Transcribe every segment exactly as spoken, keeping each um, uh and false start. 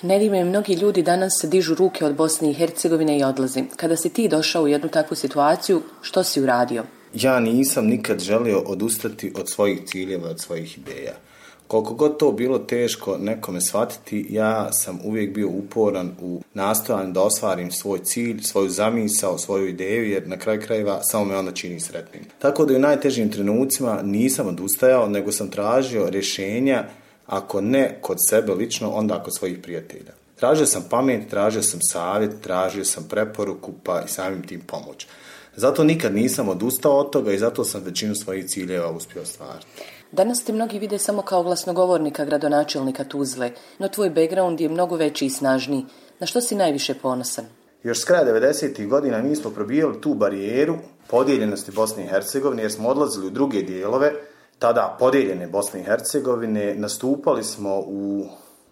Nedime, mnogi ljudi danas dižu ruke od Bosne i Hercegovine i odlazi. Kada si ti došao u jednu takvu situaciju, što si uradio? Ja nisam nikad želio odustati od svojih ciljeva, od svojih ideja. Koliko god to bilo teško nekome shvatiti, ja sam uvijek bio uporan u nastojanju da ostvarim svoj cilj, svoju zamisao, svoju ideju, jer na kraju krajeva samo me onda čini sretnim. Tako da u najtežim trenucima nisam odustajao, nego sam tražio rješenja, ako ne kod sebe lično, onda kod svojih prijatelja. Tražio sam pamet, tražio sam savjet, tražio sam preporuku, pa i samim tim pomoć. Zato nikad nisam odustao od toga i zato sam većinu svojih ciljeva uspio ostvariti. Danas te mnogi vide samo kao glasnogovornika gradonačelnika Tuzle, no tvoj background je mnogo veći i snažniji. Na što si najviše ponosan? Još s kraja devedesetih godina mi smo probijali tu barijeru podijeljenosti Bosne i Hercegovine, jer smo odlazili u druge dijelove, tada podijeljene Bosne i Hercegovine, nastupali smo u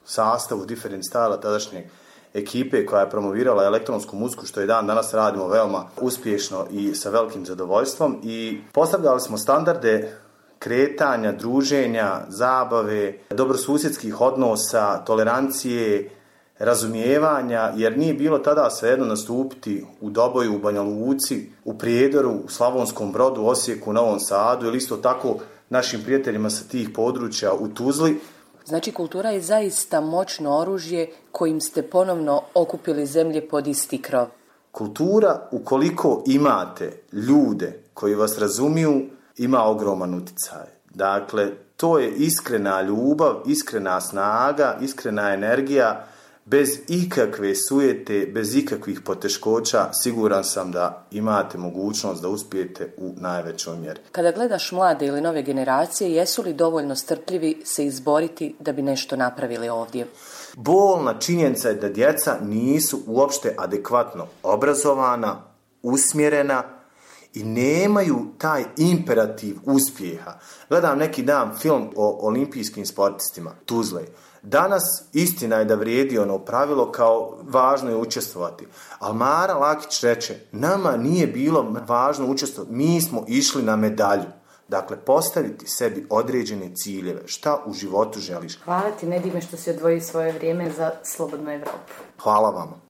sastavu Different Style tadašnje ekipe koja je promovirala elektronsku muziku, što i dan danas radimo veoma uspješno i sa velikim zadovoljstvom, i postavljali smo standarde kretanja, druženja, zabave, dobrosusjedskih odnosa, tolerancije, razumijevanja, jer nije bilo tada svejedno nastupiti u Doboju, u Banja Luci, u Prijedoru, u Slavonskom Brodu, Osijeku, Novom Sadu ili isto tako našim prijateljima sa tih područja u Tuzli. Znači, kultura je zaista moćno oružje kojim ste ponovno okupili zemlje pod isti krov. Kultura, ukoliko imate ljude koji vas razumiju, ima ogroman utjecaj. Dakle, to je iskrena ljubav, iskrena snaga, iskrena energija, bez ikakve sujete, bez ikakvih poteškoća. Siguran sam da imate mogućnost da uspijete u najvećoj mjeri. Kada gledaš mlade ili nove generacije, jesu li dovoljno strpljivi se izboriti da bi nešto napravili ovdje? Bolna činjenica je da djeca nisu uopšte adekvatno obrazovana, usmjerena i nemaju taj imperativ uspjeha. Gledam neki dan film o olimpijskim sportistima Tuzle. Danas istina je da vrijedi ono pravilo kao važno je učestvovati. Ali Mara Lakić reče, nama nije bilo važno učestvovati, mi smo išli na medalju. Dakle, postaviti sebi određene ciljeve. Šta u životu želiš? Hvala ti, Nedime, što si odvojio svoje vrijeme za Slobodnu Evropu. Hvala vam.